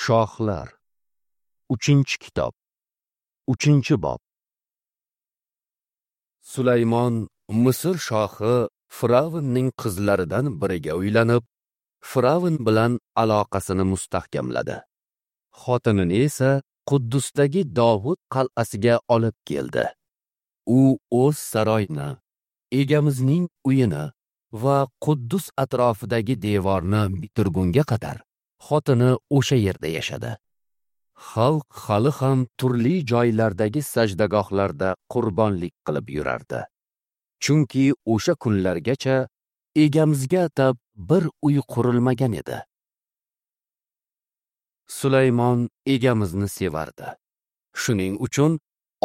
Shohlar. 3-kitob. 3-bob. Sulaymon Misr shohi Firavnning qizlaridan biriga uylanib, Firavn bilan aloqasini mustahkamladi. Xotinini esa Quddusdagi Dovud qal'asiga olib keldi. U o'z saroyini, egamizning uyini va Quddus atrofidagi devorni bitirgunga qadar xotini o'sha yerda yashadi. Xalq hali ham turli joylardagi sajdagohlarda qurbonlik qilib yurardi. Chunki o'sha kunlargacha egamizga atab bir uy qurilmagan edi. Sulaymon egamizni sevardi. Shuning uchun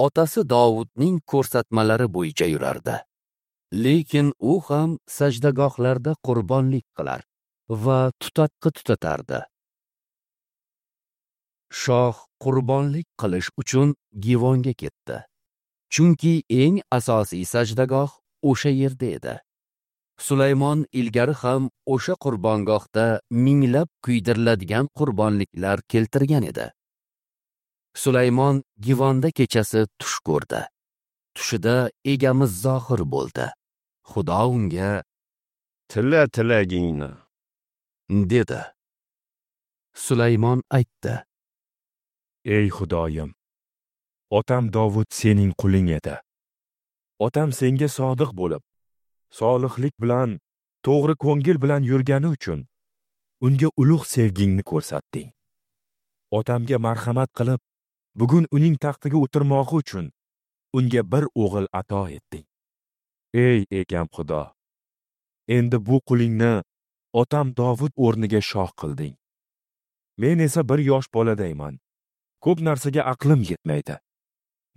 otasi Dovudning ko'rsatmalari bo'yicha yurardi. Lekin u ham sajdagohlarda qurbonlik qilar va tutatqi tutatardi. Shoh qurbonlik qilish uchun Givonga ketdi. Chunki eng asosiy sajdagoh o'sha yerda edi. Sulaymon ilgari ham o'sha qurbongohda minglab kuydiriladigan qurbonliklar keltirgan edi. Sulaymon Givonda kechasi tush ko'rdi. Tushida egamiz zohir bo'ldi. Xudo unga: "Tila tilagingni" dedi. Sulaymon aytdi: "Ey Xudoyim, otam Dovud sening quling edi. Otam senga sodiq bo'lib, solihlik bilan, to'g'ri ko'ngil bilan yurgani uchun unga ulug' sevgingni ko'rsatding. Otamga marhamat qilib, bugun uning taxtiga o'tirmog'i uchun unga bir o'g'il ato etding. Ey egam Xudo, endi bu qulingni otam Dovud o'rniga shoh qilding. Men esa bir yosh boladayman. Ko'p narsaga aqlim yetmaydi.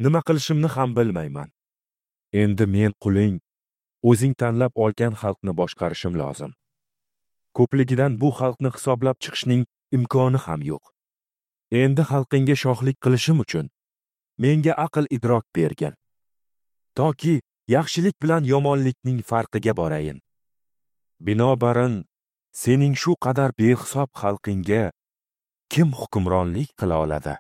Nima qilishimni ham bilmayman. Endi men quling o'zing tanlab olgan xalqni boshqarishim lozim. Ko'pligidan bu xalqni hisoblab chiqishning imkoni ham yo'q. Endi xalqingga shohlik qilishim uchun menga aql idrok bergin, toki yaxshilik bilan yomonlikning farqiga borayin. Binobarin, sening shu qadar behisob xalqingga kim hukmronlik qila oladi?"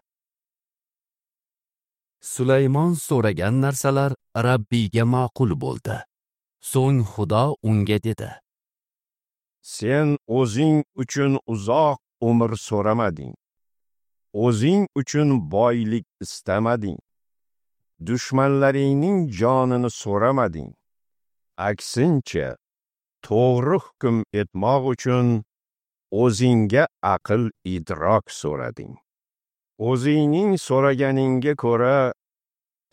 Sulaymon so'ragan narsalar Rabbiyga ma'qul bo'ldi. So'ng Xudo unga dedi: "Sen o'zing uchun uzoq umr so'ramading. O'zing uchun boylik istamading. Dushmanlaringning jonini so'ramading. Aksincha, to'g'ri hukm etmoq uchun o'zingga aql idrok so'rading. O'zingning so'raganingga ko'ra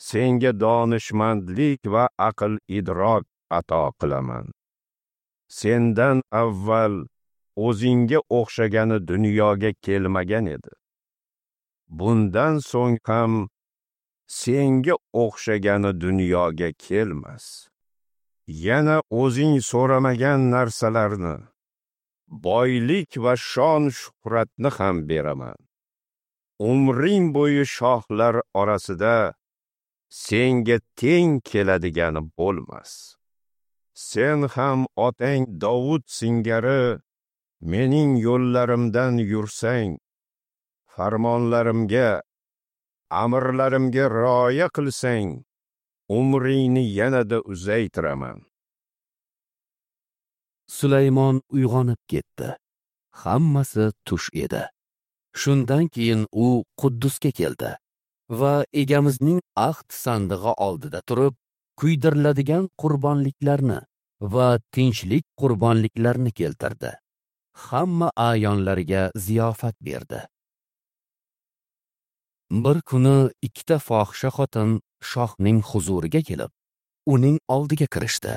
senga donishmandlik va aql idrok ato qilaman. Sendan avval o'zingga o'xshagani dunyoga kelmagan edi. Bundan so'ng ham senga o'xshagani dunyoga kelmas. Yana o'zing so'ramagan narsalarni, boylik va shon shuhratni ham beraman. Umring bo'yi shohlar orasida senga teng keladigani bo'lmas. Sen ham otang Dovud singari mening yo'llarimdan yursang, farmonlarimga, amrlarimga rioya qilsang, umringni yanada uzaytiraman." Sulaymon uyg'onib ketdi. Hammasi tush edi. Shundan keyin u Quddusga keldi va egamizning ahd sandig'i oldida turib, kuydiriladigan qurbonliklarni va tinchlik qurbonliklarini keltirdi. Hamma a'yonlarga ziyofat berdi. Bir kuni ikkita fohisha xotin shohning huzuriga kelib, uning oldiga kirishdi.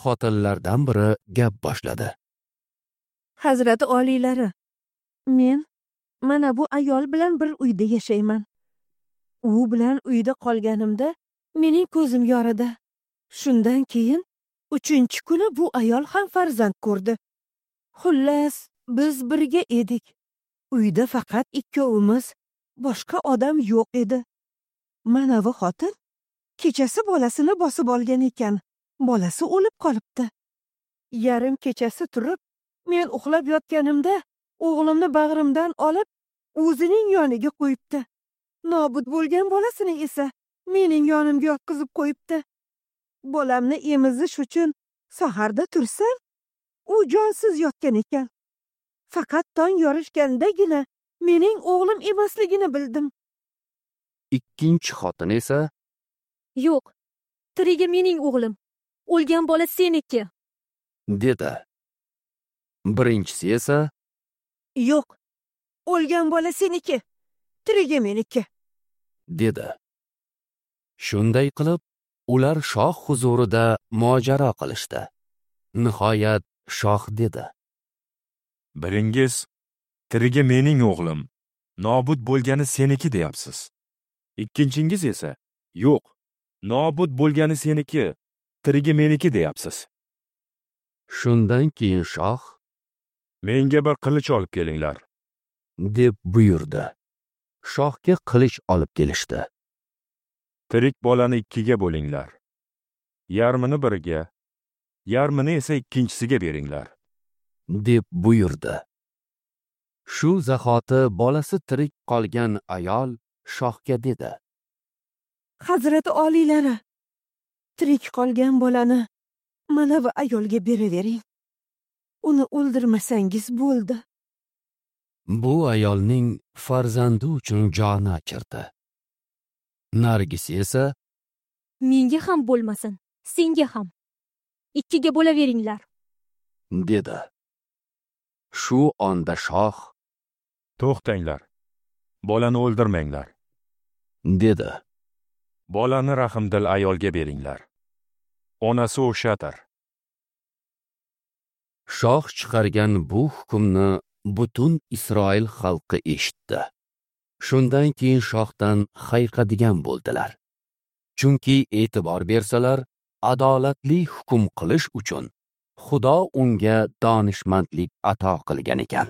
Xotinlardan biri gap boshladi: "Hazrati oliylari, men mana bu ayol bilan bir uyda yashayman. U bilan uyda qolganimda mening ko'zim yoridi. Shundan keyin 3-kuni bu ayol ham farzand ko'rdi. Xullas, biz birga edik. Uyda faqat ikkovimiz, boshqa odam yo'q edi. Mana bu xotin kechasi bolasini bosib olgan ekan. Bolasi o'lib qolibdi. Yarim kechasi turib, men uxlab yotganimda o'g'limni bag'rimdan olib, o'zining yoniga qo'yibdi. Nobud bo'lgan bolasini esa mening yonimga yotqizib qo'yibdi. Bolamni emizish uchun saharda tursam, u jonsiz yotgan ekan. Faqat tong yorishgandagina mening o'g'lim emasligini bildim. Ikkinchi xotin esa: Yo'q, tirigi mening o'g'lim, o'lgan bola seniki, dedi. Birinchisi esa: Yo'q, o'lgan bola seniki, tirigi meniki, dedi. Shunday qilib, ular shoh huzurida mojaro qilishdi. Nihoyat shoh dedi: Biringiz tirigi mening o'g'lim, nobud bo'lgani seniki deyapsiz. Ikkinchingiz esa yo'q, nobud bo'lgani seniki, tirigi meniki deyapsiz. Shundan keyin shoh: Menga bir qilich olib kelinglar, deb buyurdi. Shohga qilich olib kelishdi. Tirik bolani ikkiga bo'linglar. Yarmini biriga, yarmini esa ikkinchisiga beringlar, deb buyurdi. Shu zahoti bolasi tirik qolgan ayol shohga dedi: Hazrati oliylari, tirik qolgan bolani mana bu ayolga beravering. Uni o'ldirmasangiz bo'ldi. Bu ayolning farzandi uchun joni achirdi. Nargis esa: Menga ham bo'lmasin, senga ham. Ikkiga bo'laveringlar, dedi. Shu onda shoh: To'xtanglar, bolani o'ldirmanglar, dedi. Bolani rahmdil ayolga beringlar. Onasi o'shadir. Shoh chiqargan bu hukmni butun Isroil xalqi eshitdi. Shundan keyin shohdan hayiqadigan bo'ldilar. Chunki e'tibor bersalar, adolatli hukm qilish uchun Xudo unga donishmandlik ato qilgan ekan.